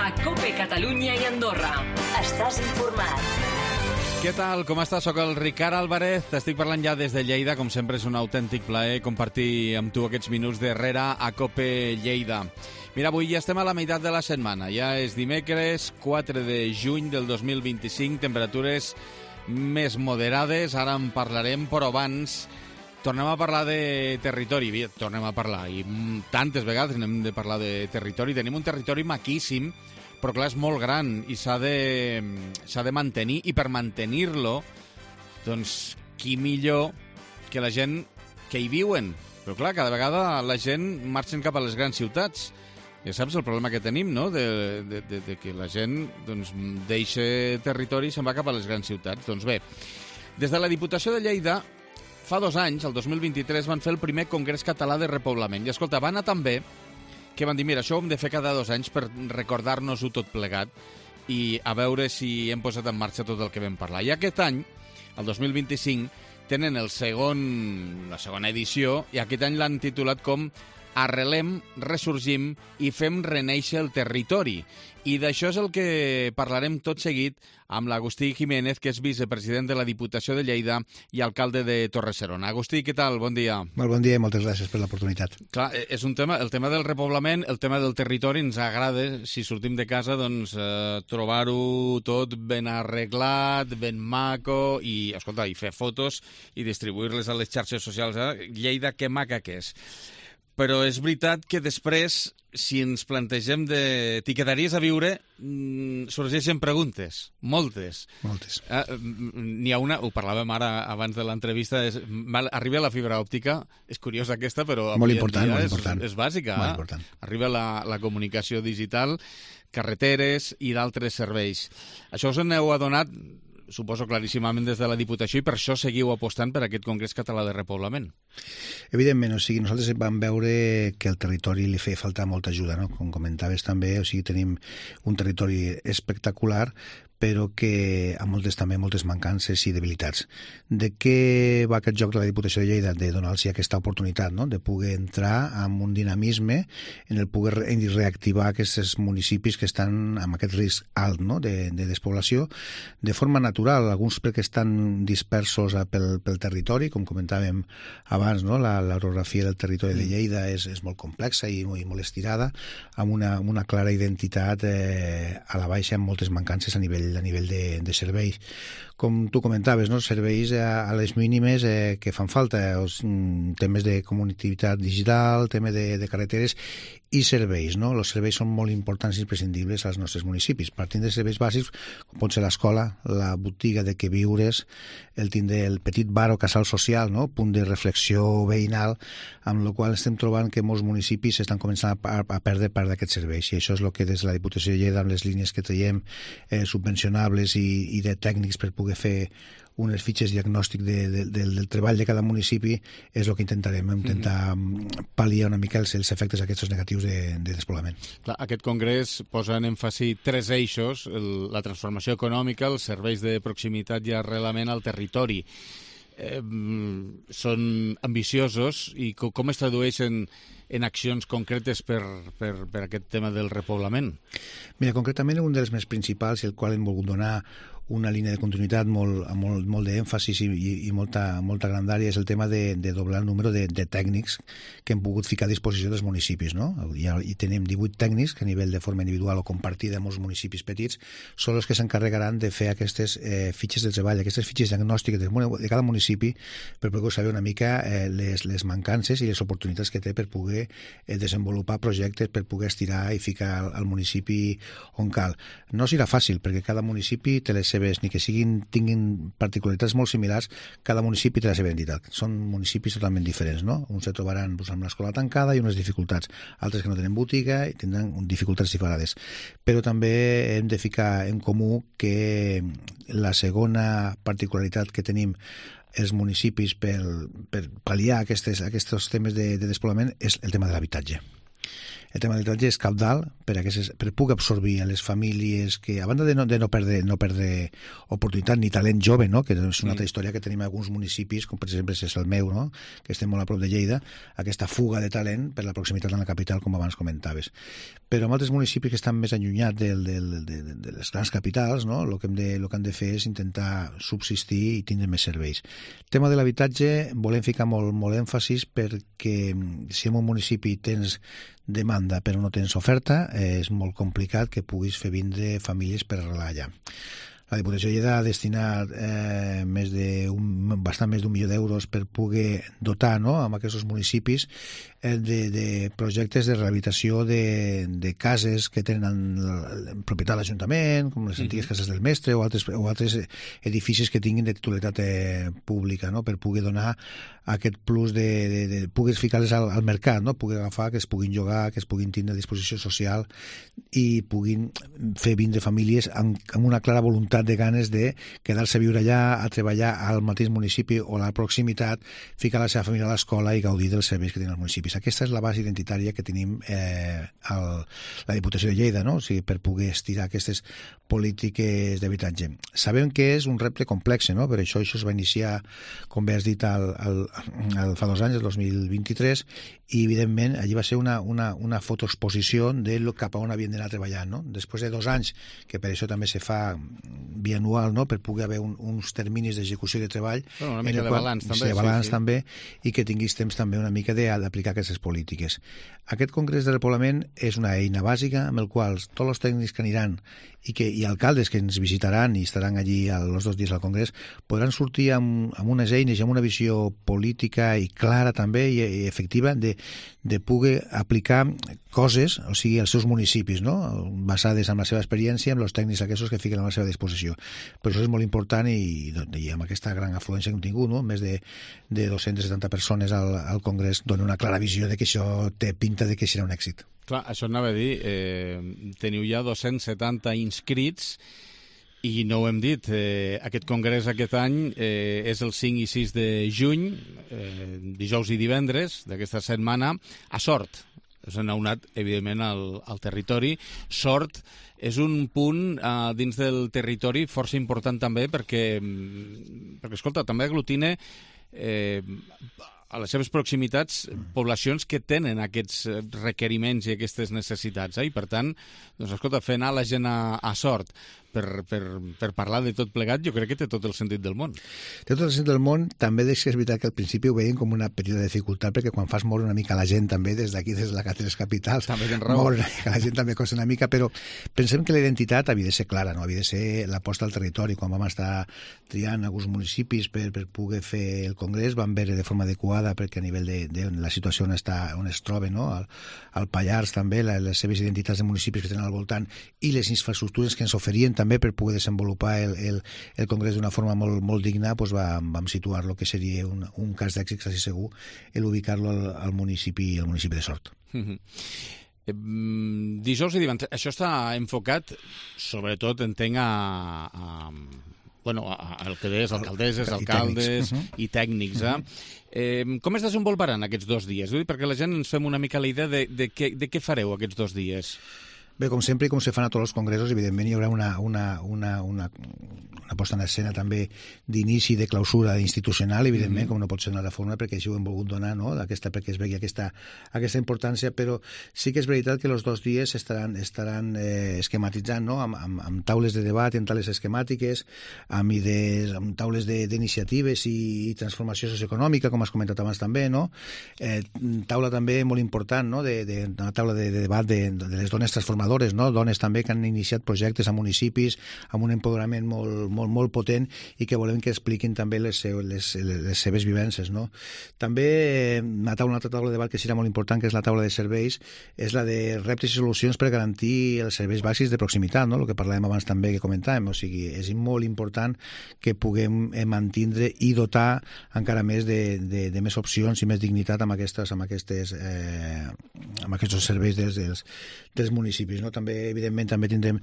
a COPE Catalunya i Andorra. Estàs informat. Què tal? Com estàs? Soc el Ricard Álvarez. T'estic parlant ja des de Lleida. Com sempre, és un autèntic plaer compartir amb tu aquests minuts darrere a COPE Lleida. Mira, avui ja estem a la meitat de la setmana. Ja és dimecres, 4 de juny del 2025. Temperatures més moderades. Ara en parlarem, però abans tornem a parlar de territori. Tornem a parlar, i tantes vegades hem de parlar de territori. Tenim un territori maquíssim, però clar, és molt gran i s'ha de mantenir, i per mantenir-lo, doncs, qui millor que la gent que hi viuen. Però clar, cada vegada la gent marxa cap a les grans ciutats. Ja saps el problema que tenim, no?, de que la gent doncs, deixa territori i se'n va cap a les grans ciutats. Doncs bé, des de la Diputació de Lleida, fa 2 anys, el 2023, van fer el primer Congrés Català de Repoblament. I escolta, va anar tan bé que van dir, mira, això ho hem de fer cada 2 anys per recordar-nos-ho tot plegat i a veure si hem posat en marxa tot el que vam parlar. I aquest any, el 2025, tenen la segona edició, i aquest any l'han titulat com Arrelem, ressorgim i fem renéixer el territori. I d'això és el que parlarem tot seguit amb l'Agustí Jiménez, que és vicepresident de la Diputació de Lleida i alcalde de Torre-serona. Agustí, què tal? Bon dia. Molt bon dia i moltes gràcies per l'oportunitat. Clar, és un tema, el tema del repoblament, el tema del territori, ens agrada, si sortim de casa, doncs trobar-ho tot ben arreglat, ben maco, i, escolta, i fer fotos i distribuir-les a les xarxes socials. Lleida, que maca que és. Però és veritat que després, si ens plantegem de t'hi quedaries a viure, sorgeixen preguntes, moltes. N'hi ha una, ho parlàvem ara abans de l'entrevista, arriba la fibra òptica, és curiosa aquesta, però molt important. És bàsica. Molt important. Arriba la comunicació digital, carreteres i d'altres serveis. Això us n'heu adonat, suposo claríssimament des de la Diputació, i per això seguiu apostant per aquest Congrés Català de Repoblament. Evidentment, nosaltres vam veure que al territori li feia falta molta ajuda, no? Com comentaves també, tenim un territori espectacular, però que amb moltes mancances i debilitats. De què va aquest joc de la Diputació de Lleida? De donar-los aquesta oportunitat, no?, de poder entrar amb un dinamisme en el poder reactivar aquests municipis que estan amb aquest risc alt, no?, de despoblació, de forma natural, alguns perquè estan dispersos pel territori, com comentàvem abans, no?, l'orografia del territori de Lleida és molt complexa i molt estirada, amb una clara identitat a la baixa, amb moltes mancances a nivell de serveis. Com tu comentaves, no? Serveis a les mínimes que fan falta, temes de connectivitat digital, temes de carreteres i serveis, no? Els serveis són molt importants i imprescindibles als nostres municipis. Partint de serveis bàsics, com pot ser l'escola, la botiga de queviures, el tindre el petit bar o casal social, no?, punt de reflexió veïnal, amb la qual estem trobant que molts municipis estan començant a perdre part d'aquests serveis. I això és el que des de la Diputació de Lleida, amb les línies que traiem subvencionables i de tècnics per poder fer unes fitxes diagnòstic del treball de cada municipi, és el que intentarem, intentar pal·liar una mica els efectes aquests negatius de despoblament. Clar, aquest congrés posa en èmfasi 3 eixos, la transformació econòmica, els serveis de proximitat i arrelament al territori. Són ambiciosos, i com es tradueixen en accions concretes per aquest tema del repoblament? Mira, concretament un dels més principals, i el qual hem volgut donar una línia de continuïtat molt d'èmfasis i molta grandària, és el tema de doblar el número de tècnics que hem pogut ficar a disposició dels municipis, no? I tenim 18 tècnics que a nivell de forma individual o compartida amb els municipis petits són els que s'encarregaran de fer aquestes fitxes de treball, aquestes fitxes diagnòstiques de cada municipi, per poder saber una mica les mancances i les oportunitats que té per poder desenvolupar projectes, per poder estirar i ficar al municipi on cal. No serà fàcil, perquè cada municipi té les seves, ni que tinguin particularitats molt similars, cada municipi té la seva identitat. Són municipis totalment diferents, no? Uns se trobaran amb l'escola tancada i unes dificultats, altres que no tenen botiga i tindran dificultats separades. Però també hem de ficar en comú que la segona particularitat que tenim els municipis per pal·liar aquests temes de despoblament és el tema de l'habitatge. El tema de l'habitatge és cabdal per poder absorbir a les famílies que, a banda de no perdre oportunitat ni talent jove, no? Que és una altra història que tenim en alguns municipis, com per exemple és el meu, no? Que estem molt a prop de Lleida, aquesta fuga de talent per la proximitat amb la capital, com abans comentaves. Però en altres municipis que estan més allunyats de les grans capitals, no? El que han de fer és intentar subsistir i tindre més serveis. El tema de l'habitatge volem ficar molt èmfasis perquè si en un municipi tens demanda però no tens oferta, és molt complicat que puguis fer vindre famílies per arrelar allà. La Diputació de Lleida ha destinat bastant més d'1 milió d'euros per poder dotar, no?, amb aquests municipis de projectes de rehabilitació de cases que tenen propietat de l'Ajuntament, com les antigues cases del mestre o altres edificis que tinguin de titularitat pública, no?, per poder donar aquest plus de poder ficar-les al mercat, no?, poder agafar, que es puguin llogar, que es puguin tindre a disposició social i puguin fer vindre famílies amb una clara voluntat de ganes de quedar-se a viure allà, a treballar al mateix municipi o a la proximitat, ficar la seva família a l'escola i gaudir dels serveis que tenen els municipis. Aquesta és la base identitària que tenim la Diputació de Lleida, no? O sigui, per poder estirar aquestes polítiques d'habitatge. Sabem que és un repte complex, no? Per això es va iniciar, com bé has dit, fa 2 anys, el 2023, i evidentment allí va ser una fotoexposició de cap a on havien d'anar treballant, no? Després de 2 anys, que per això també se fa bianual, no?, per poder haver uns terminis d'execució de treball, una mica de balanç també, de balanç també, i que tinguis temps també una mica d'aplicar aquestes polítiques. Aquest Congrés de Repoblament és una eina bàsica amb el qual tots els tècnics que aniran i alcaldes que ens visitaran i estaran allí els 2 dies al Congrés podran sortir amb unes eines i amb una visió política i clara també i efectiva de poder aplicar coses, o sigui, als seus municipis, no?, basades en la seva experiència, amb els tècnics aquests que fiquen a la seva disposició. Per això és molt important i amb aquesta gran afluència que hem tingut, no?, més de 270 persones al Congrés, dona una clara visió de que això té pinta de que serà un èxit. Clar, això anava a dir, teniu ja 270 inscrits i no ho hem dit, aquest congrés aquest any és el 5 i 6 de juny, dijous i divendres d'aquesta setmana, a Sort. Us han anat, evidentment, al territori. Sort és un punt dins del territori força important també perquè escolta, també aglutina a les seves proximitats poblacions que tenen aquests requeriments i aquestes necessitats. I per tant, doncs, escolta, fer anar la gent a Sort per parlar de tot plegat, jo crec que té tot el sentit del món. Té tot el sentit del món. També és veritat que al principi ho veiem com una petita dificultat, perquè quan fas moure una mica la gent també, des d'aquí, des de les capitals, moure la gent també costa una mica, però pensem que la identitat havia de ser clara, no? Havia de ser l'aposta al territori. Quan vam estar triant alguns municipis per poder fer el congrés, vam veure de forma adequada, perquè a nivell de la situació on es troba, no?, al Pallars també, les seves identitats de municipis que tenen al voltant i les infraestructures que ens oferien també per poder desenvolupar el congrés d'una forma molt digna, doncs vam situar lo que seria un cas d'èxit quasi segur, ubicar-lo al municipi de Sort. Dijous i divendres, això està enfocat sobretot, entenc, el que deies, alcaldesses, alcaldes i tècnics. Com es desenvoluparan aquests 2 dies? Perquè la gent ens fem una mica la idea de què fareu aquests 2 dies. Bé, com sempre, com se fan a tots els congressos, evidentment hi haurà una posta en escena també d'inici de clausura institucional, evidentment, com no pot ser d'una altra forma, perquè així ho hem volgut donar, no?, perquè es vegi aquesta importància, però sí que és veritat que els 2 dies estaran esquematitzant, no?, amb taules de debat, amb taules esquemàtiques, amb idees, amb taules d'iniciatives i transformació socioeconòmica, com has comentat abans també, no?, taula també molt important, no?, una taula de debat de les dones transformadores, no?, dones també que han iniciat projectes a municipis amb un empoderament molt potent i que volem que expliquin també les seves vivències, no? També una altra taula de debat que serà molt important, que és la taula de serveis, és la de reptes i solucions per garantir els serveis bàsics de proximitat, no?, el que parlàvem abans també, que comentàvem. O sigui, és molt important que puguem mantindre i dotar encara més de més opcions i més dignitat amb aquests serveis dels municipis. municipis. No? També, evidentment, també tindrem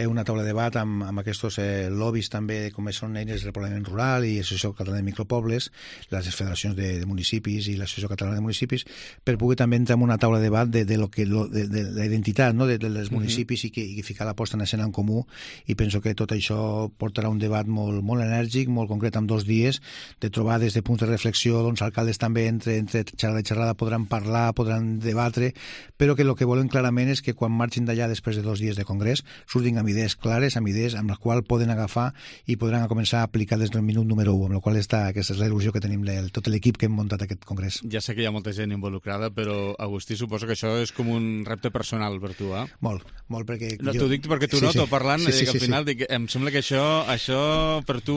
una taula de debat amb aquests lobbies també, com són eines del repoblament rural i l'Associació Catalana de Micropobles, les federacions de municipis i l'Associació Catalana de Municipis, per poder també entrar en una taula de debat de la identitat, no? dels municipis i ficar la posta en escena en comú, i penso que tot això portarà un debat molt, molt enèrgic, molt concret, en 2 dies, de trobar des de punts de reflexió, alcaldes també entre xerrada i xerrada podran parlar, podran debatre, però que el que volen clarament és que quan marxin d'allà després de 2 dies de congrés surtin amb idees clares, amb idees amb les quals poden agafar i podran començar a aplicar des del minut número 1, amb la qual aquesta és la il·lusió que tenim tot l'equip que hem muntat aquest congrés. Ja sé que hi ha molta gent involucrada, però Agustí, suposo que això és com un repte personal per tu, eh? Molt, perquè... No, t'ho dic perquè tu noto parlant, al final dic, em sembla que això per tu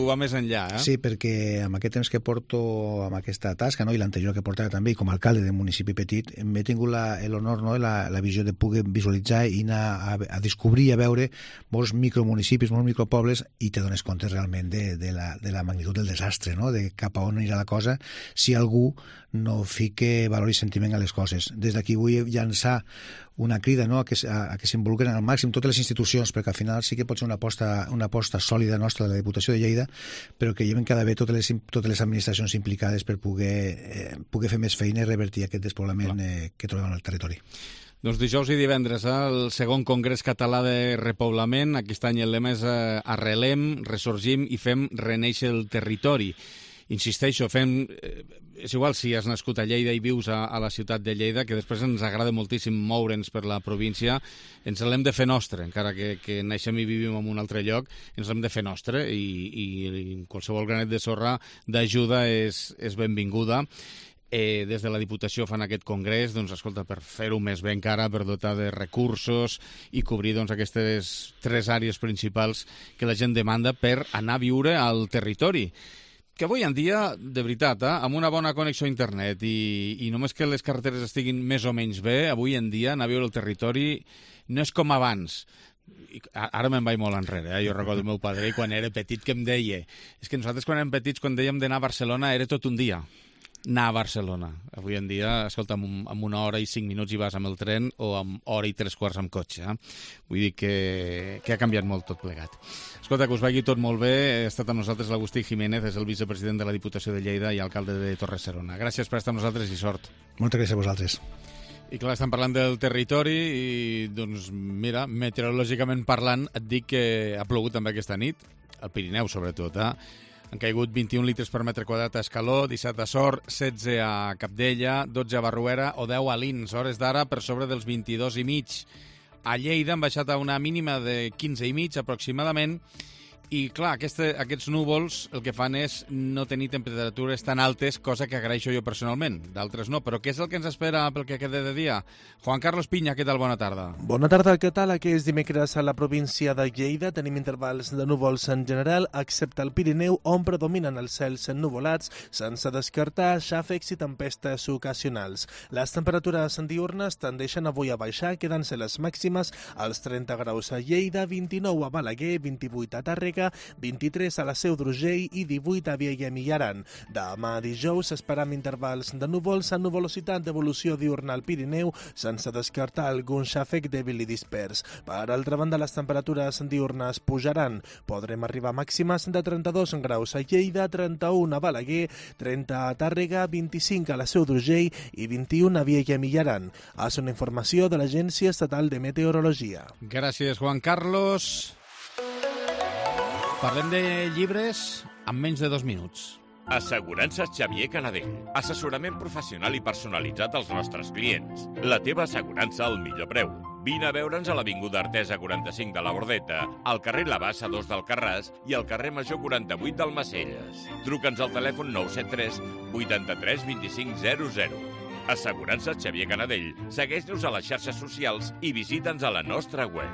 va més enllà, eh? Sí, perquè amb aquest temps que porto amb aquesta tasca, no? I l'anterior que portava també, i com a alcalde d'un municipi petit, m'he tingut l'honor, no? la visió de poder visualitzar i anar a descobrir i a veure molts micromunicipis, molts micropobles, i te dones compte realment de la magnitud del desastre, no? De cap a on anirà la cosa si algú no fique valor i sentiment a les coses. Des d'aquí vull llançar una crida, no? a que s'involucren al màxim totes les institucions, perquè al final sí que pot ser una aposta sòlida nostra de la Diputació de Lleida, però que lleven cada vegada totes les administracions implicades per poder fer més feina i revertir aquest despoblament que trobem al territori. Doncs dijous i divendres, el segon Congrés Català de Repoblament. Aquest any el lema és arrelem, ressorgim i fem renéixer el territori. Insisteixo, és igual si has nascut a Lleida i vius a la ciutat de Lleida, que després ens agrada moltíssim moure'ns per la província, ens l'hem de fer nostre, encara que naixem i vivim en un altre lloc, ens l'hem de fer nostre, i qualsevol granet de sorra d'ajuda és benvinguda. Des de la Diputació fan aquest congrés, doncs, escolta, per fer-ho més bé encara, per dotar de recursos i cobrir aquestes 3 àrees principals que la gent demanda per anar a viure al territori. Que avui en dia, de veritat, amb una bona connexió a internet i només que les carreteres estiguin més o menys bé, avui en dia anar a viure al territori no és com abans. Ara me'n vaig molt enrere, jo recordo el meu padre quan era petit que em deia, és que nosaltres quan érem petits, quan dèiem d'anar a Barcelona era tot un dia anar a Barcelona. Avui en dia, escolta, amb 1 hora i 5 minuts hi vas amb el tren o amb 1 hora i 3/4 amb cotxe. Vull dir que ha canviat molt tot plegat. Escolta, que us vagi tot molt bé. Ha estat amb nosaltres l'Agustí Jiménez, és el vicepresident de la Diputació de Lleida i alcalde de Torre-serona. Gràcies per estar amb nosaltres i sort. Moltes gràcies a vosaltres. I clar, estem parlant del territori i, doncs, mira, meteorològicament parlant, et dic que ha plogut també aquesta nit, al Pirineu sobretot, Han caigut 21 litres per metre quadrat a Escaló, 17 a Sort, 16 a Capdella, 12 a Barruera o 10 a Lins. Hores d'ara per sobre dels 22,5. A Lleida han baixat a una mínima de 15,5 aproximadament. I, clar, aquests núvols el que fan és no tenir temperatures tan altes, cosa que agraeixo jo personalment. D'altres no, però què és el que ens espera pel que queda de dia? Juan Carlos Piña, què tal? Bona tarda. Bona tarda, què tal? Aquest dimecres a la província de Lleida tenim intervals de núvols en general, excepte el Pirineu, on predominen els cels ennuvolats, sense descartar xàfecs i tempestes ocasionals. Les temperatures diürnes tendeixen avui a baixar, quedant-se les màximes als 30 graus a Lleida, 29 a Balaguer, 28 a Tàrrega, 23 a la Seu d'Urgell i 18 a Vielha i Aran. Demà dijous esperam intervals de núvols amb nuvolositat d'evolució diurna al Pirineu, sense descartar algun xàfec dèbil i dispers. Per altra banda, les temperatures diurnes pujaran. Podrem arribar a màximes de 32 graus a Lleida, 31 a Balaguer, 30 a Tàrrega, 25 a la Seu d'Urgell i 21 a Vielha i Aran. És una informació de l'Agència Estatal de Meteorologia. Gràcies, Juan Carlos. Parlem de llibres en menys de 2 minuts. Assegurances Xavier Canadell. Assessorament professional i personalitzat als nostres clients. La teva assegurança al millor preu. Vine a veure'ns a l'Avinguda Artesa 45 de la Bordeta, al carrer La Bassa 2 d'Alcarràs i al carrer Major 48 d'Almacelles. Truca'ns al telèfon 973 83 25 00. Assegurances Xavier Canadell. Segueix-nos a les xarxes socials i visita'ns a la nostra web.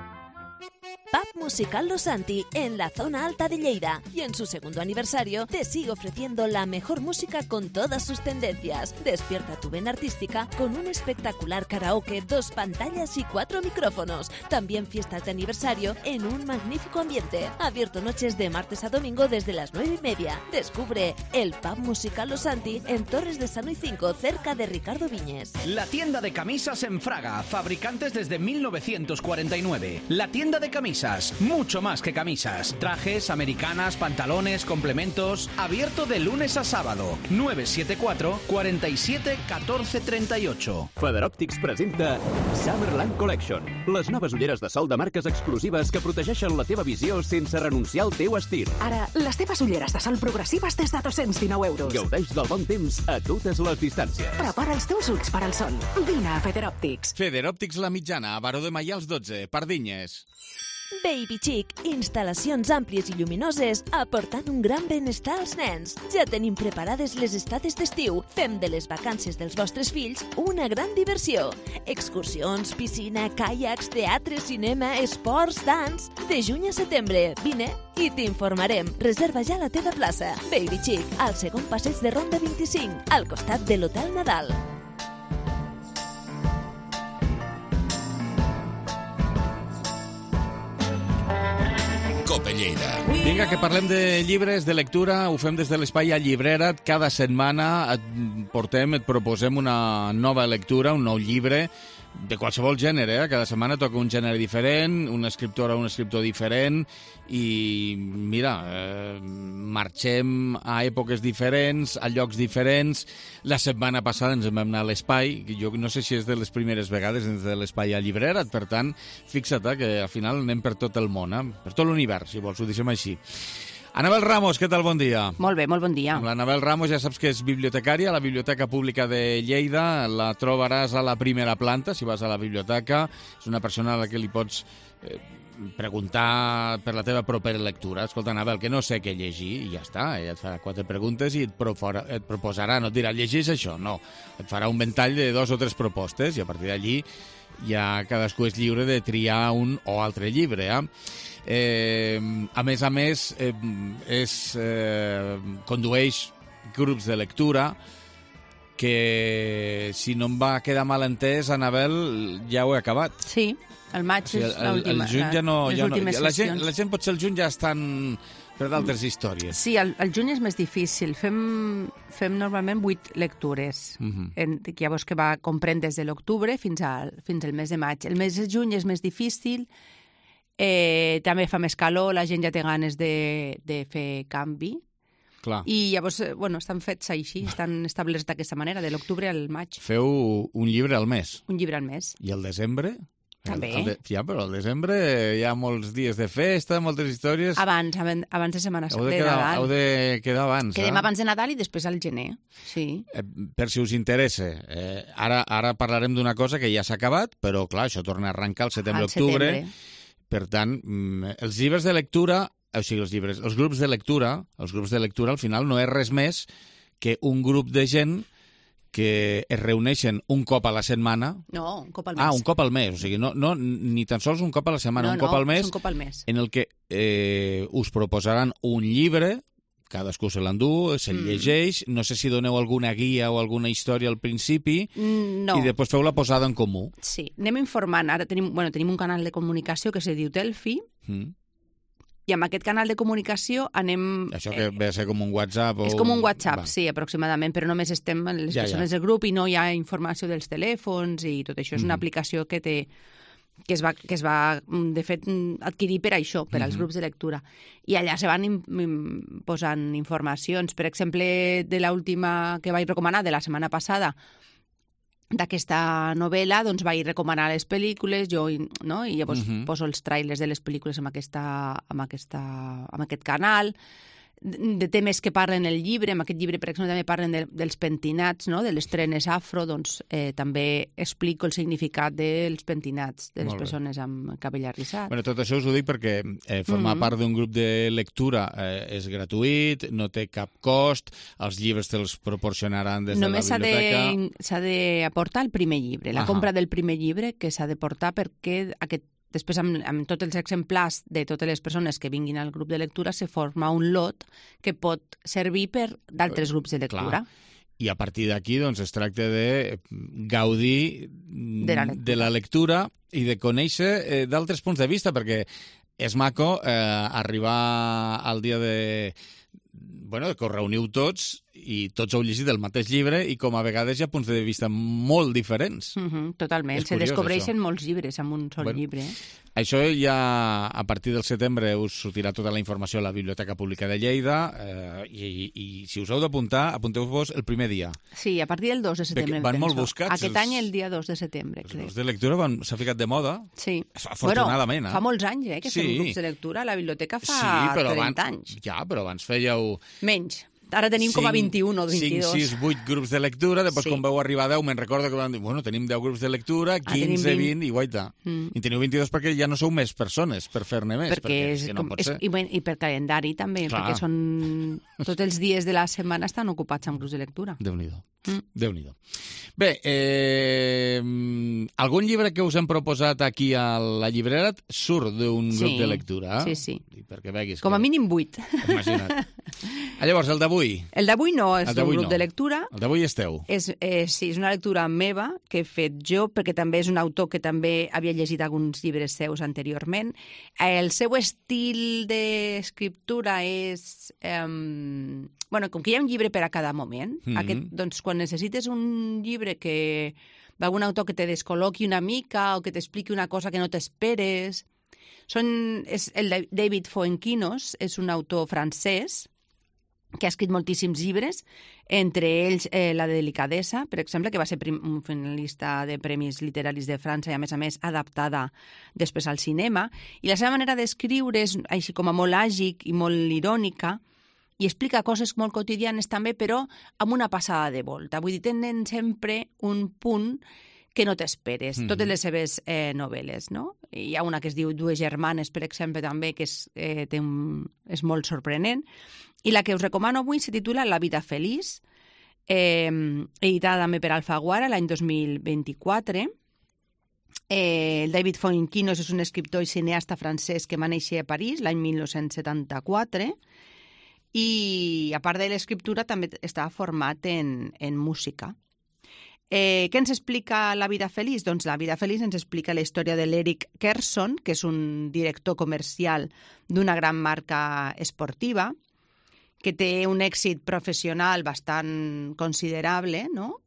Pub Musical Los Santi, en la zona alta de Lleida. Y en su segundo aniversario te sigue ofreciendo la mejor música con todas sus tendencias. Despierta tu vena artística con un espectacular karaoke, 2 pantallas y 4 micrófonos. También fiestas de aniversario en un magnífico ambiente. Abierto noches de martes a domingo desde las 9:30. Descubre el Pub Musical Los Santi en Torres de Sano y 5, cerca de Ricardo Viñes. La tienda de camisas en Fraga, fabricantes desde 1949. La tienda de camisas, mucho más que camisas. Trajes, americanas, pantalones, complementos. Abierto de lunes a sábado. 974 47 14 38. Feather Optics presenta Summerland Collection, les noves ulleres de sol de marques exclusives que protegeixen la teva visió sense renunciar al teu estil. Ara, les teves ulleres de sol progressives des de 219 euros. Gaudeix del bon temps a totes les distàncies. Prepara els teus ulls per al sol. Vine a Feather Optics. Feather Optics La Mitjana, a Baró de Maials 12, Pardinyes. Baby Chic, instal·lacions àmplies i lluminoses aportant un gran benestar als nens. Ja tenim preparades les estades d'estiu. Fem de les vacances dels vostres fills una gran diversió. Excursions, piscina, caiacs, teatre, cinema, esports, dans... De juny a setembre, vine i t'informarem. Reserva ja la teva plaça. Baby Chic, al segon passeig de Ronda 25, al costat de l'Hotel Nadal. Cope Lleida. Vinga, que parlem de llibres, de lectura, ho fem des de l'espai a Llibrera't. Cada setmana et proposem una nova lectura, un nou llibre, de qualsevol gènere, Cada setmana toca un gènere diferent, una escriptora o un escriptor diferent, i mira, marxem a èpoques diferents, a llocs diferents. La setmana passada ens vam anar a l'Espai, jo no sé si és de les primeres vegades dins de l'Espai a Llibrera't, per tant, fixa't que al final anem per tot el món, per tot l'univers, si vols, ho deixem així. Anabel Ramos, què tal? Bon dia. Molt bé, molt bon dia. L'Anabel Ramos ja saps que és bibliotecària a la Biblioteca Pública de Lleida. La trobaràs a la primera planta, si vas a la biblioteca. És una persona a la que li pots preguntar per la teva propera lectura. Escolta, Anabel, que no sé què llegir, i ja està. Ella et farà 4 preguntes i et proposarà, no et dirà, llegeix això, no. Et farà un ventall de 2 o 3 propostes i a partir d'allí ja cadascú és lliure de triar un o altre llibre, a més, condueix grups de lectura que, si no em va quedar mal entès, Anabel, ja ho he acabat. Sí, el maig és l'última. El juny ja no... Les últimes sessions. La gent potser el juny ja estan per d'altres històries. Sí, el juny és més difícil. Fem normalment 8 lectures, llavors que va comprendre des de l'octubre fins al mes de maig. El mes de juny és més difícil, també fa més calor, la gent ja té ganes de fer canvi. Clar. I llavors, estan fets així, estan establerts d'aquesta manera, de l'octubre al maig. Feu un llibre al mes. Un llibre al mes. I el desembre? També. Ja, però al desembre hi ha molts dies de festa, moltes històries... Abans de Setmana Santa, de Nadal. Heu de quedar abans. Quedem abans de Nadal i després al gener, sí. Per si us interessa, ara parlarem d'una cosa que ja s'ha acabat, però clar, això torna a arrencar al setembre-octubre. Per tant, els llibres de lectura, o sigui, els grups de lectura al final no és res més que un grup de gent que es reuneixen un cop a la setmana. No, un cop al mes. Un cop al mes. O sigui, no, ni tan sols un cop a la setmana, un cop al mes, en el que us proposaran un llibre, cadascú se l'endú, se'l llegeix, no sé si doneu alguna guia o alguna història al principi, i després feu la posada en comú. Sí, anem informant. Ara tenim un canal de comunicació que se diu Telfi, i amb aquest canal de comunicació anem... Això que ve a ser com un WhatsApp? És com un WhatsApp, sí, aproximadament, però només estem les persones del grup i no hi ha informació dels telèfons i tot això. És una aplicació que es va, de fet, adquirir per això, per als grups de lectura. I allà se van posant informacions. Per exemple, de l'última que vaig recomanar, de la setmana passada, d'aquesta novel·la, doncs vaig recomanar les pel·lícules, no? I llavors poso els trailers de les pel·lícules amb aquest canal, de temes que parlen el llibre. En aquest llibre, per exemple, també parlen dels pentinats, no? De les trenes afro, doncs també explico el significat dels pentinats, de les persones amb cabell arrissat. Bueno, tot això us ho dic perquè formar part d'un grup de lectura és gratuït, no té cap cost, els llibres te'ls proporcionaran des de la biblioteca. Només s'ha d'aportar el primer llibre, la compra del primer llibre que s'ha de portar perquè aquest després amb tots els exemplars de totes les persones que vinguin al grup de lectura se forma un lot que pot servir per d'altres grups de lectura. Clar. I a partir d'aquí doncs, es tracta de gaudir de la lectura i de conèixer d'altres punts de vista, perquè és maco arribar al dia de que us reuniu tots i tots heu llegit el mateix llibre i com a vegades hi ha punts de vista molt diferents. Totalment. Se descobreixen molts llibres amb un sol llibre. Això ja a partir del setembre us sortirà tota la informació a la Biblioteca Pública de Lleida i si us heu d'apuntar, apunteu-vos el primer dia. Sí, a partir del 2 de setembre. Van molt buscats. Aquest any el dia 2 de setembre, crec. Els de lectura s'ha ficat de moda. Sí. Afortunadament. Fa molts anys que són grups de lectura. La biblioteca fa 30 anys. Ja, però abans fèieu... Menys. Ara tenim com a 21 o 22. 5, 6, 8 grups de lectura, després quan vau arribar a 10, me'n recordo que van dir, tenim 10 grups de lectura, 15, 20, i guaita. I teniu 22 perquè ja no sou més persones per fer-ne més. Perquè no pot ser. I per calendari també, perquè tots els dies de la setmana estan ocupats amb grups de lectura. Déu-n'hi-do. Déu-n'hi-do. Bé, algun llibre que us hem proposat aquí a la llibrera surt d'un grup de lectura? Sí. Perquè veguis com a mínim 8. Imagina't. Llavors, el d'avui? El d'avui no, és un grup de lectura. El d'avui és teu? Sí, és una lectura meva que he fet jo, perquè també és un autor que també havia llegit alguns llibres seus anteriorment. El seu estil d'escriptura és... com que hi ha un llibre per a cada moment, doncs quan necessites un llibre d'algun autor que te descol·loqui una mica o que t'expliqui una cosa que no t'esperes... El David Fuenquinos és un autor francès que ha escrit moltíssims llibres, entre ells La delicadesa, per exemple, que va ser un finalista de Premis Literaris de França i, a més, adaptada després al cinema. I la seva manera d'escriure és així com a molt àgic i molt irònica i explica coses molt quotidianes també, però amb una passada de volta. Vull dir, tenen sempre un punt que no t'esperes, totes les seves novel·les, no? Hi ha una que es diu Dues germanes, per exemple, també, que és molt sorprenent. I la que us recomano avui se titula La vida feliç, editada també per Alfaguara l'any 2024. El David Fuenquinos és un escriptor i cineasta francès que va néixer a París l'any 1974 i, a part de l'escriptura, també estava format en música. Què ens explica La vida feliç? Doncs La vida feliç ens explica la història de l'Eric Kerson, que és un director comercial d'una gran marca esportiva, que té un èxit professional bastant considerable, no?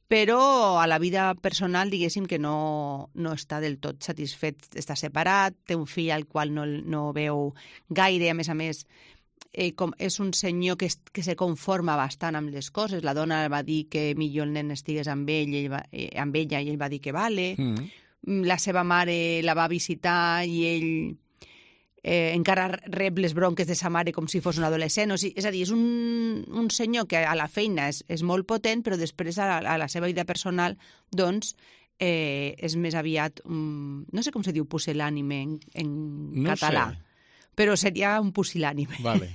Però a la vida personal, diguéssim, que no està del tot satisfet. Està separat, té un fill al qual no veu gaire, a més, és un senyor que se conforma bastant amb les coses. La dona va dir que millor el nen estigués amb ella i ell va dir que vale. La seva mare la va visitar i ell encara rep les bronques de sa mare com si fos un adolescent. És a dir, és un senyor que a la feina és molt potent, però després a la seva vida personal doncs és més aviat, no sé com se diu pusil·lànime en català. Sé. Però seria un pusil·lànime. Vale.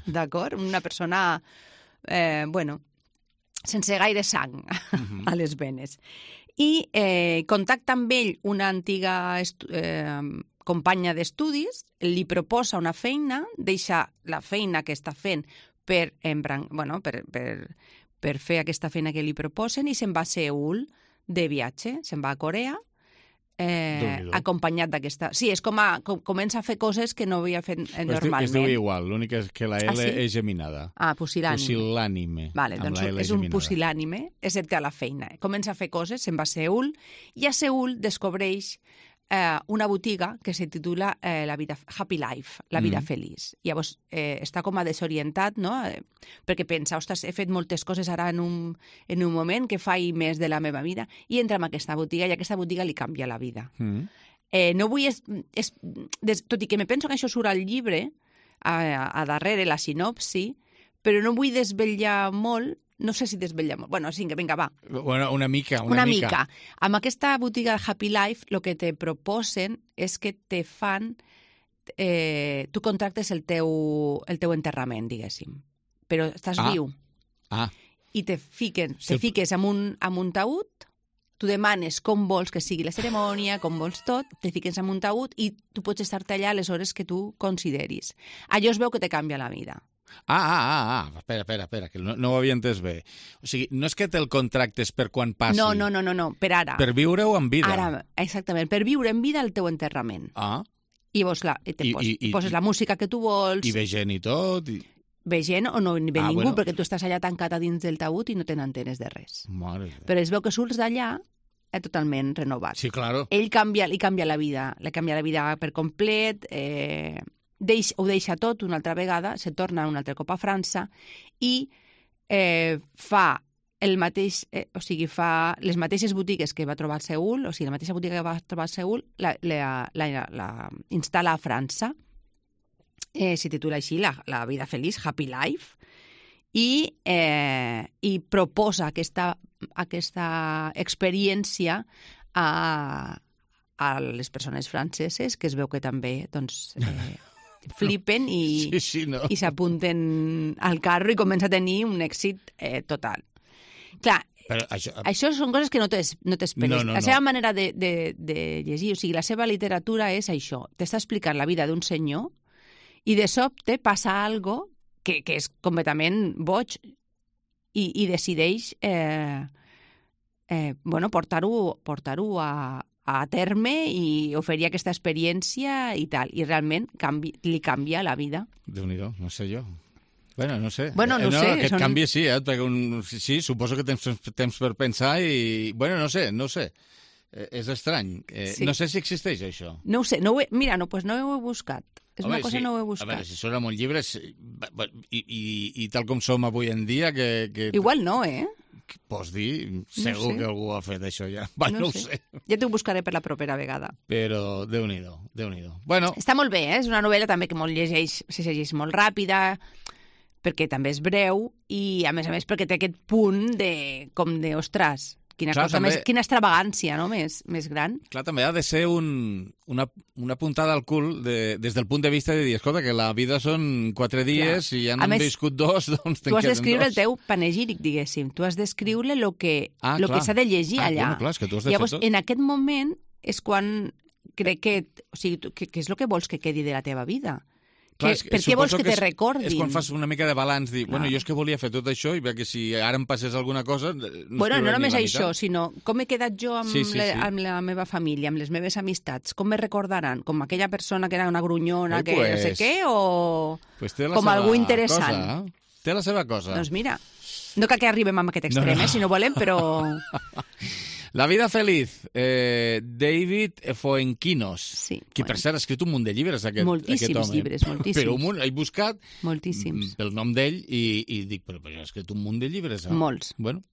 D'acord? Una persona, sense gaire sang a les venes. I contacta amb ell una antiga companya d'estudis, li proposa una feina, deixa la feina que està fent per fer aquesta feina que li proposen i se'n va a Seül de viatge, se'n va a Corea, acompanyat d'aquesta... Sí, és comença a fer coses que no havia fet normalment. Es diu igual, l'únic és que la L és geminada. Pusil·lànime. Pusil·lànime. Vale, doncs és un pusil·lànime, excepte a la feina. Comença a fer coses, se'n va a Seül, i a Seül descobreix una botiga que se titula Happy Life, la vida feliç. Llavors està com a desorientat, no? Perquè pensa, ostres, he fet moltes coses ara en un moment que faig més de la meva vida, i entra en aquesta botiga i aquesta botiga li canvia la vida. No vull... Tot i que me penso que això surt al llibre, a darrere, la sinopsi, però no vull desvetllar molt. No sé si desvetlla molt. Bueno, sí, vinga, va. Una mica. Amb aquesta botiga de Happy Life, el que te proposen és que te fan... tu contractes el teu enterrament, diguéssim. Però estàs viu. I te fiques amb un taüt tu demanes com vols que sigui la cerimònia, com vols tot, te fiques en un taüt i tu pots estar-te allà a les hores que tu consideris. Allò es veu que te canvia la vida. Espera, que no ho havia entès bé. O sigui, no és que te'l contractes per quan passi. No, per ara. Per viure-ho en vida. Ara, exactament, per viure en vida el teu enterrament. I llavors, clar, poses la música que tu vols... I ve gent i tot... Ve gent o no ve ningú, perquè tu estàs allà tancat a dins del taüt i no te n'entenes de res. Però es veu que surts d'allà totalment renovat. Sí, claro. Li canvia la vida per complet, ho deixa tot una altra vegada, se torna un altre cop a França i fa el mateix, fa les mateixes botigues que va trobar a Seül, o sigui, la mateixa botiga que va trobar a Seül, la instal·la a França. Se titula així, La vida feliç, Happy Life, i proposa aquesta experiència a les persones franceses, que es veu que també flipen i s'apunten al carro i comença a tenir un èxit total. Clar, això són coses que no t'esperes. La seva manera de llegir, o sigui, la seva literatura és això, t'està explicant la vida d'un senyor i de sobte passa algo que és completament boig i decideix portar-ho a terme i oferir aquesta experiència i tal. I realment li canvia la vida. Déu-n'hi-do, no sé jo. No sé. No sé. Aquest canvi sí, perquè sí, suposo que tens temps per pensar i... no sé. És estrany. No sé si existeix això. No ho sé. Mira, no ho he buscat. És una cosa que no ho he buscat. A veure, si són amb un llibre i tal com som avui en dia... Igual no, Pots dir, segur que algú ha fet això ja. No ho sé. Ja t'ho buscaré per la propera vegada. Però Déu-n'hi-do. Està molt bé, és una novel·la també que se llegeix molt ràpida, perquè també és breu i, a més, perquè té aquest punt ostres, quina extravagància, no?, més gran. Clar, també ha de ser una puntada al cul des del punt de vista de dir, escolta, que la vida són 4 dies i ja n'han viscut 2, doncs tu has d'escriure el teu panegíric, diguéssim. Tu has d'escriure el que s'ha de llegir allà. Clar, és que tu has de Llavors, fer tot. En aquest moment és quan crec que és el que vols que quedi de la teva vida. Per què vols que te recordin? És quan fas una mica de balanç, dir, jo és que volia fer tot això i que si ara em passés alguna cosa... No només això, sinó com he quedat jo amb la meva família, amb les meves amistats, com me recordaran? Com aquella persona que era una grunyona, que no sé què, o com algú interessant? Té la seva cosa. Doncs mira, no cal que arribem a aquest extrem, si no volem, però... La vida feliz, David Fuenquinos, que per cert ha escrit un munt de llibres, aquest home. Moltíssims llibres, moltíssims. Però un munt, he buscat pel nom d'ell i dic, però ha escrit un munt de llibres. Molts. Bueno,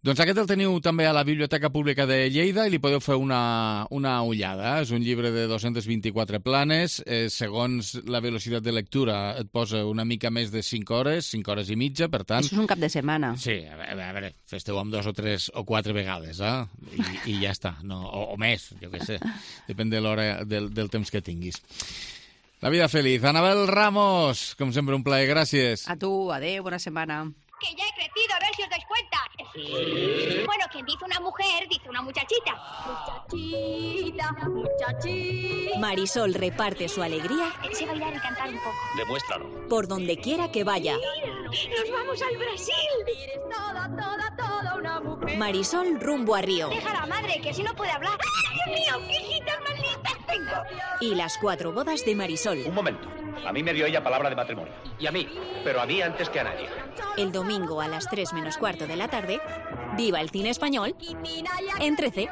doncs aquest el teniu també a la Biblioteca Pública de Lleida i li podeu fer una ullada. És un llibre de 224 planes. Segons la velocitat de lectura et posa una mica més de 5 hores, 5 hores i mitja, per tant... Això és un cap de setmana. Sí, a veure, fes-te-ho amb 2 o 3 o 4 vegades, i ja està. O més, jo què sé. Depèn de l'hora del temps que tinguis. La vida feliz. Anabel Ramos, com sempre, un plaer. Gràcies. A tu, adéu, bona setmana. Que ya he crecido, a ver si os dais cuenta. ¿Sí? Bueno, quien dice una mujer, dice una muchachita. Muchachita. Marisol reparte su alegría. Sé bailar y cantar un poco. Demuéstralo. Por donde quiera que vaya. ¡Nos vamos al Brasil! Eres toda una mujer. Marisol rumbo a Río. Deja a la madre, que así no puede hablar. ¡Ay, Dios mío! ¡Qué hijitas más lindas tengo! Y las 4 bodas de Marisol. Un momento. A mí me dio ella palabra de matrimonio. Y a mí. Pero a mí antes que a nadie. El domingo a las 3 menos cuarto de la tarde, viva el cine español en 13.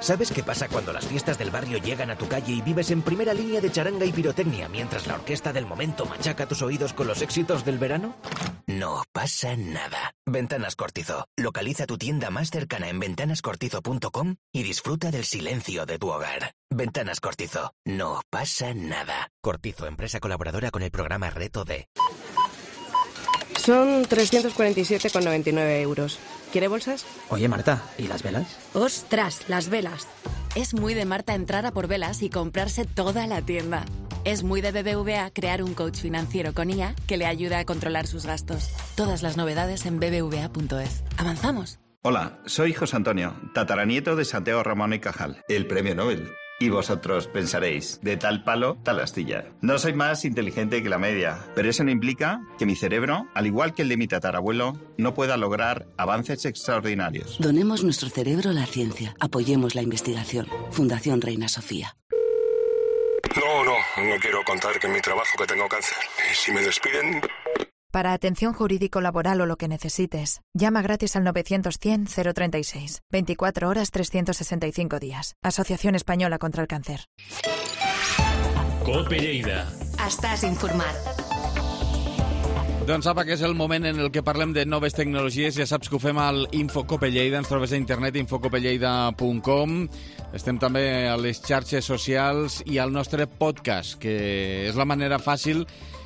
¿Sabes qué pasa cuando las fiestas del barrio llegan a tu calle y vives en primera línea de charanga y pirotecnia mientras la orquesta del momento machaca tus oídos con los éxitos del verano? No pasa nada. Ventanas Cortizo. Localiza tu tienda más cercana en ventanascortizo.com y disfruta del silencio de tu hogar. Ventanas Cortizo. No pasa nada. Cortizo, empresa colaboradora con el programa Reto D. Son 347,99 euros. ¿Quiere bolsas? Oye, Marta, ¿y las velas? ¡Ostras, las velas! Es muy de Marta entrar a por velas y comprarse toda la tienda. Es muy de BBVA crear un coach financiero con IA que le ayuda a controlar sus gastos. Todas las novedades en bbva.es. ¡Avanzamos! Hola, soy José Antonio, tataranieto de Santiago Ramón y Cajal, el premio Nobel. Y vosotros pensaréis, de tal palo, tal astilla. No soy más inteligente que la media, pero eso no implica que mi cerebro, al igual que el de mi tatarabuelo, no pueda lograr avances extraordinarios. Donemos nuestro cerebro a la ciencia. Apoyemos la investigación. Fundación Reina Sofía. No quiero contar que en mi trabajo que tengo cáncer. Y si me despiden... Para atención jurídico-laboral o lo que necesites, llama gratis al 900-100-036. 24 horas, 365 días. Asociación Española contra el Càncer. COPE Lleida. Estàs informat. Doncs apa, que és el moment en el que parlem de noves tecnologies. Ja saps que ho fem al Infocope Lleida. Ens trobes a internet, infocopelleida.com. Estem també a les xarxes socials i al nostre podcast, que és la manera fàcil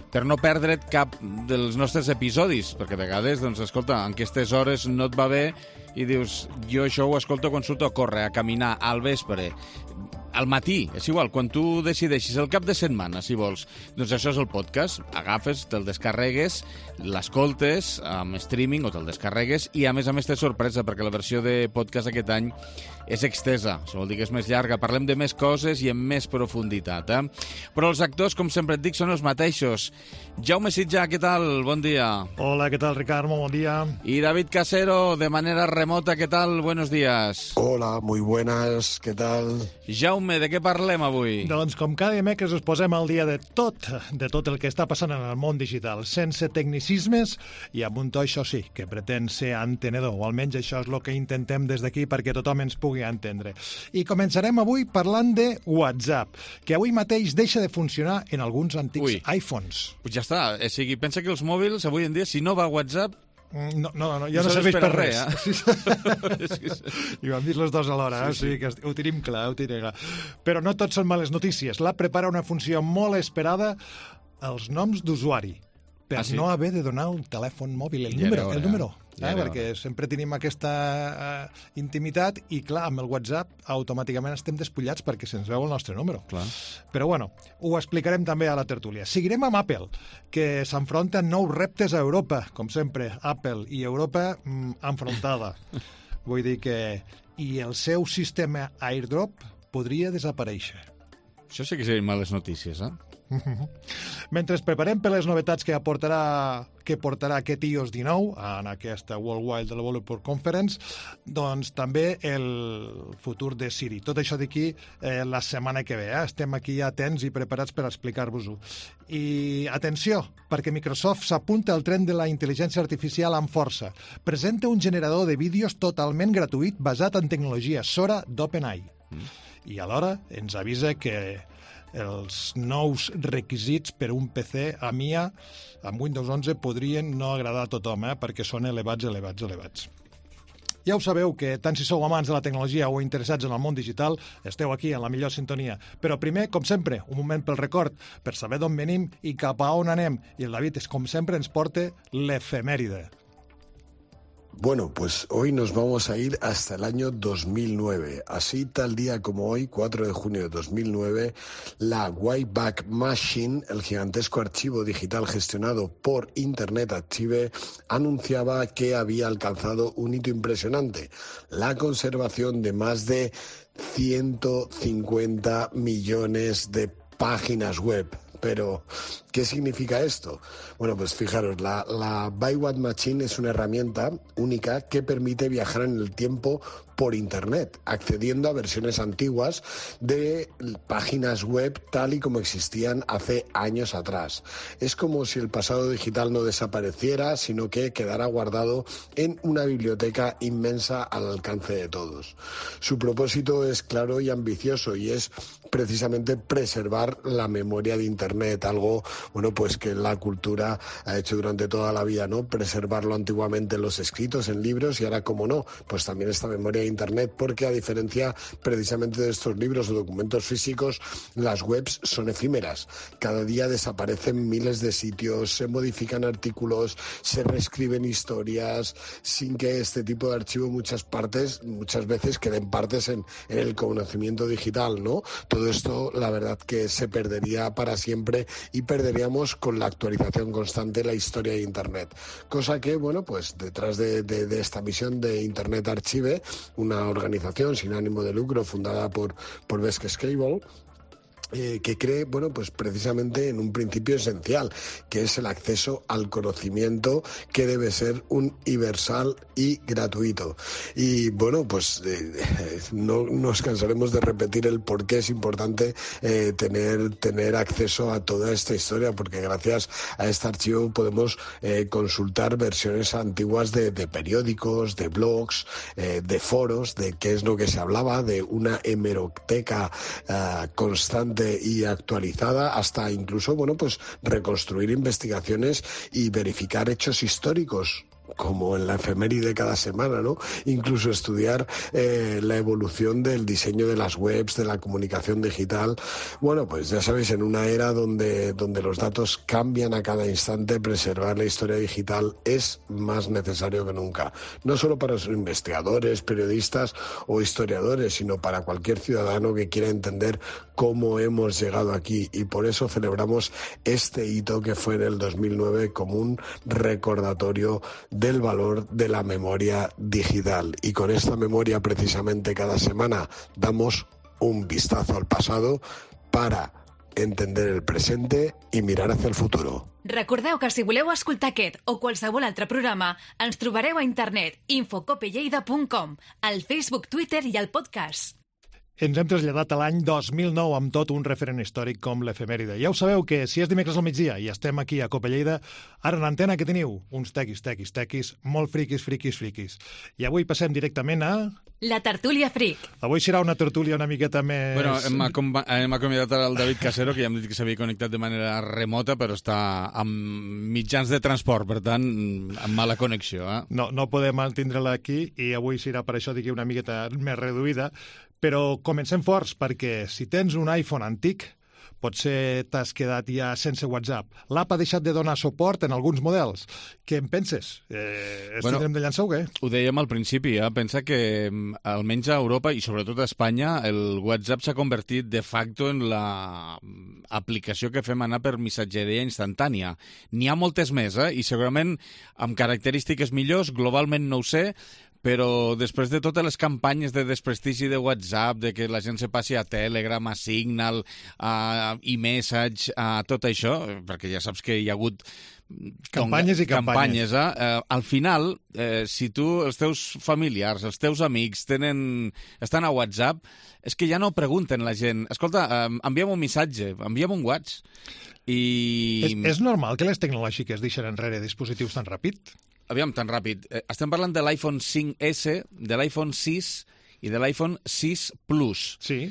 per no perdre't cap dels nostres episodis, perquè a vegades, doncs, escolta, en aquestes hores no et va bé i dius, jo això ho escolto quan surto a córrer, a caminar, al vespre, al matí, és igual, quan tu decideixis el cap de setmana, si vols. Doncs això és el podcast, agafes, te'l descarregues, l'escoltes amb streaming o te'l descarregues i a més té sorpresa perquè la versió de podcast aquest any és extesa, això vol dir que és més llarga, parlem de més coses i amb més profunditat, eh? Però els actors, com sempre et dic, són els mateixos. Jaume Sitjà, què tal? Bon dia. Hola, ¿qué tal, Ricardo? Bon dia. Y David Casero, de manera remota, ¿qué tal? Buenos días. Hola, muy buenas, ¿qué tal? Jaume, de què parlem avui? Doncs com cada dimecres us posem al dia de tot el que està passant en el món digital, sense tecnicismes i amb un to, això sí, que pretén ser entenedor, o almenys això és el que intentem des d'aquí perquè tothom ens pugui entendre. I començarem avui parlant de WhatsApp, que avui mateix deixa de funcionar en alguns antics iPhones. Pues ja està, o sigui, pensa que els mòbils avui en dia, si no va a WhatsApp, no, ja no serveix per res. I ho hem dit les dos alhora, sí. O sigui que ho tenim clar, Però no tot són males notícies. L'app prepara una funció molt esperada, els noms d'usuari, per no haver de donar el telèfon mòbil, el número. Perquè sempre tenim aquesta intimitat i, clar, amb el WhatsApp automàticament estem despullats perquè se'ns veu el nostre número. Clar. Però, bueno, ho explicarem també a la tertúlia. Seguirem amb Apple, que s'enfronta a nous reptes a Europa, com sempre, Apple i Europa enfrontada. Vull dir que... I el seu sistema AirDrop podria desaparèixer. Això sí que serien males notícies, eh? Mentre ens preparem per les novetats que portarà aquest iOS 19 en aquesta Worldwide Developer Conference, doncs també el futur de Siri. Tot això d'aquí la setmana que ve. Estem aquí atents i preparats per explicar-vos-ho. I atenció, perquè Microsoft s'apunta al tren de la intel·ligència artificial amb força. Presenta un generador de vídeos totalment gratuït basat en tecnologia Sora d'OpenAI. I alhora ens avisa que els nous requisits per un PC a MIA amb Windows 11 podrien no agradar a tothom, perquè són elevats. Ja ho sabeu, que tant si sou amants de la tecnologia o interessats en el món digital, esteu aquí en la millor sintonia. Però primer, com sempre, un moment pel record, per saber d'on venim i cap a on anem. I el David, com sempre, ens porta l'efemèride. Bueno, pues hoy nos vamos a ir hasta el año 2009. Así, tal día como hoy, 4 de junio de 2009, la Wayback Machine, el gigantesco archivo digital gestionado por Internet Archive, anunciaba que había alcanzado un hito impresionante: la conservación de más de 150 millones de páginas web. Pero, ¿qué significa esto? Bueno, pues fijaros, la Wayback Machine es una herramienta única que permite viajar en el tiempo por Internet, accediendo a versiones antiguas de páginas web tal y como existían hace años atrás. Es como si el pasado digital no desapareciera, sino que quedara guardado en una biblioteca inmensa al alcance de todos. Su propósito es claro y ambicioso, y es precisamente preservar la memoria de Internet, algo, bueno, pues que la cultura ha hecho durante toda la vida, ¿no? Preservarlo antiguamente en los escritos, en libros, y ahora, como no, pues también esta memoria de Internet, porque a diferencia precisamente de estos libros o documentos físicos, las webs son efímeras. Cada día desaparecen miles de sitios, se modifican artículos, se reescriben historias, sin que este tipo de archivo muchas veces queden partes en el conocimiento digital, ¿no? Todo esto, la verdad, que se perdería para siempre y perdería perderíamos con la actualización constante de la historia de Internet. Cosa que, bueno, pues detrás de esta misión de Internet Archive, una organización sin ánimo de lucro fundada por Vesque Cable, que cree, bueno, pues precisamente en un principio esencial, que es el acceso al conocimiento, que debe ser universal y gratuito. Y bueno, pues no nos cansaremos de repetir el por qué es importante tener acceso a toda esta historia, porque gracias a este archivo podemos consultar versiones antiguas de periódicos, de blogs, de foros, de qué es lo que se hablaba, de una hemeroteca constante y actualizada, hasta incluso, bueno, pues reconstruir investigaciones y verificar hechos históricos, como en la efeméride cada semana, ¿no? Incluso estudiar la evolución del diseño de las webs, de la comunicación digital. Bueno, pues ya sabéis, en una era donde los datos cambian a cada instante, preservar la historia digital es más necesario que nunca. No solo para los investigadores, periodistas o historiadores, sino para cualquier ciudadano que quiera entender cómo hemos llegado aquí. Y por eso celebramos este hito que fue en el 2009 como un recordatorio del valor de la memoria digital. Y con esta memoria, precisamente, cada semana damos un vistazo al pasado para entender el presente i mirar hacia el futuro. Recordeu que si voleu escoltar aquest o qualsevol altre programa, ens trobareu a internet infocopelleida.com, al Facebook, Twitter i al podcast. Ens hem traslladat a l'any 2009 amb tot un referent històric com l'efemèride. Ja ho sabeu que si és dimecres al migdia i estem aquí a Copa Lleida, ara en antena que teniu uns tequis, molt friquis. I avui passem directament a... La tertúlia fric. Avui serà una tertúlia una miqueta més... Bueno, hem acomiadat el David Casero, que ja hem dit que s'havia connectat de manera remota, però està amb mitjans de transport, per tant, amb mala connexió. No podem mantindre-la aquí i avui serà per això una miqueta més reduïda, però comencem forts, perquè si tens un iPhone antic, potser t'has quedat ja sense WhatsApp. L'app ha deixat de donar suport en alguns models. Què en penses? Tindrem de llançar o què? Ho dèiem al principi, pensa que almenys a Europa i sobretot a Espanya el WhatsApp s'ha convertit de facto en l'aplicació que fem anar per missatgeria instantània. N'hi ha moltes més, i segurament amb característiques millors, globalment no ho sé, però després de totes les campanyes de desprestigi de WhatsApp, de que la gent se passi a Telegram, a Signal, a iMessage, a tot això, perquè ja saps que hi ha hagut campanyes i campanyes. Al final, si tu, els teus familiars, els teus amics estan a WhatsApp, és que ja no pregunten la gent, escolta, envia'm un missatge, envia'm un WhatsApp. És normal que les tecnològiques deixen enrere dispositius tan ràpid? Aviam, tan ràpid. Estem parlant de l'iPhone 5S, de l'iPhone 6 i de l'iPhone 6 Plus. Sí.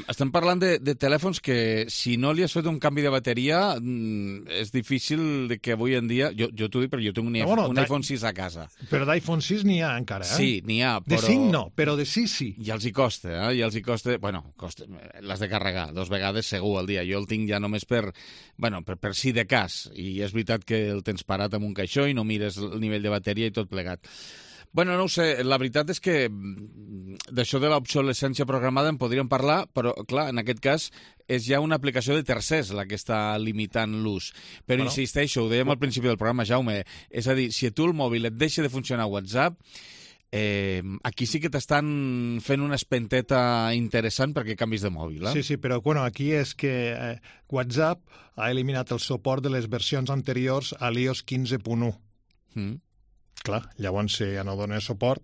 Estem parlant de telèfons que, si no li has fet un canvi de bateria, és difícil que avui en dia... Jo t'ho dic, però jo tinc un iPhone 6 a casa. Però d'iPhone 6 n'hi ha encara, Sí, n'hi ha, però... De 5 no, però de 6 sí. I els hi costa, Bueno, l'has de carregar 2 vegades segur al dia. Jo el tinc ja només per si de cas. I és veritat que el tens parat en un caixó i no mires el nivell de bateria i tot plegat. Bueno, no ho sé, la veritat és que d'això de l'obsolescència programada en podríem parlar, però, clar, en aquest cas és ja una aplicació de tercers la que està limitant l'ús. Però insisteixo, ho dèiem al principi del programa, Jaume, és a dir, si a tu el mòbil et deixa de funcionar WhatsApp, aquí sí que t'estan fent una espenteta interessant perquè canvis de mòbil. Sí, però aquí és que WhatsApp ha eliminat el suport de les versions anteriors a l'iOS 15.1. Clar, llavors si ja no dona suport,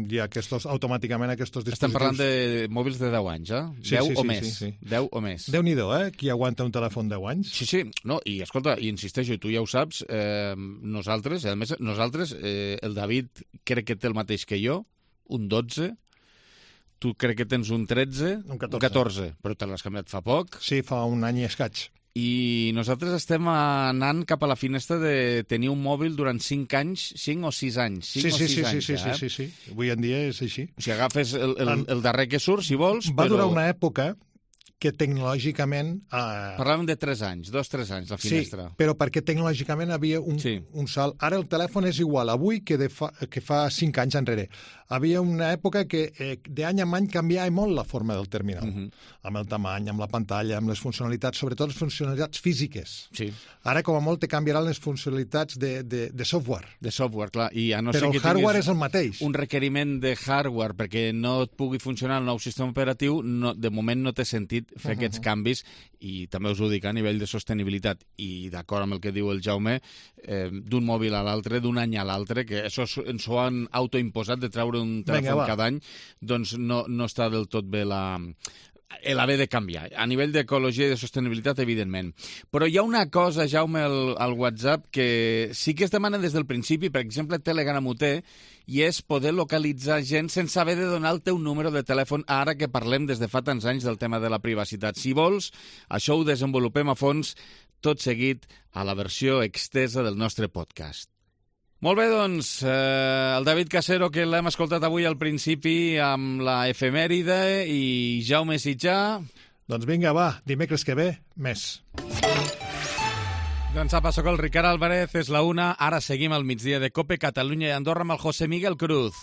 ja automàticament aquests dispositius... Estem parlant de mòbils de 10 anys, 10 o més. 10 o més. Déu-n'hi-do, qui aguanta un telèfon 10 anys? Sí, no, i escolta, i insisteixo, tu ja ho saps, nosaltres, el David crec que té el mateix que jo, un 12, tu crec que tens un 13, un 14, però te l'has canviat fa poc. Sí, fa un any i escaig. I nosaltres estem anant cap a la finestra de tenir un mòbil durant 5 anys, 5 o 6 anys. Sí. Avui en dia és així. Si agafes el darrer que surt, si vols... Va durar una època que tecnològicament... Parlàvem de 3 anys, 2-3 anys, la finestra. Sí, però perquè tecnològicament havia un salt. Ara el telèfon és igual avui que fa 5 anys enrere. Havia una època que d'any en any canviava molt la forma del terminal, amb el tamany, amb la pantalla, amb les funcionalitats, sobretot les funcionalitats físiques. Sí. Ara, com a molt, te canviaran les funcionalitats de software. De software, clar. I a no però ser el que hardware és el mateix. Un requeriment de hardware perquè no et pugui funcionar el nou sistema operatiu, de moment no té sentit fer aquests canvis, i també us ho dic a nivell de sostenibilitat, i d'acord amb el que diu el Jaume, d'un mòbil a l'altre, d'un any a l'altre, que això ens ho han autoimposat de treure un telèfon cada any, doncs no està del tot bé l'haver de canviar. A nivell d'ecologia i de sostenibilitat, evidentment. Però hi ha una cosa, Jaume, al WhatsApp que sí que es demana des del principi, per exemple, Telegram ho té, i és poder localitzar gent sense haver de donar el teu número de telèfon, ara que parlem des de fa tants anys del tema de la privacitat. Si vols, això ho desenvolupem a fons tot seguit a la versió extesa del nostre podcast. Molt bé, doncs, el David Casero, que l'hem escoltat avui al principi amb la efemèride, i Jaume Sitjà. Doncs vinga, va, dimecres que ve, més. Doncs apa, soc el Ricard Álvarez, és la 1, ara seguim al migdia de COPE Catalunya i Andorra amb el José Miguel Cruz.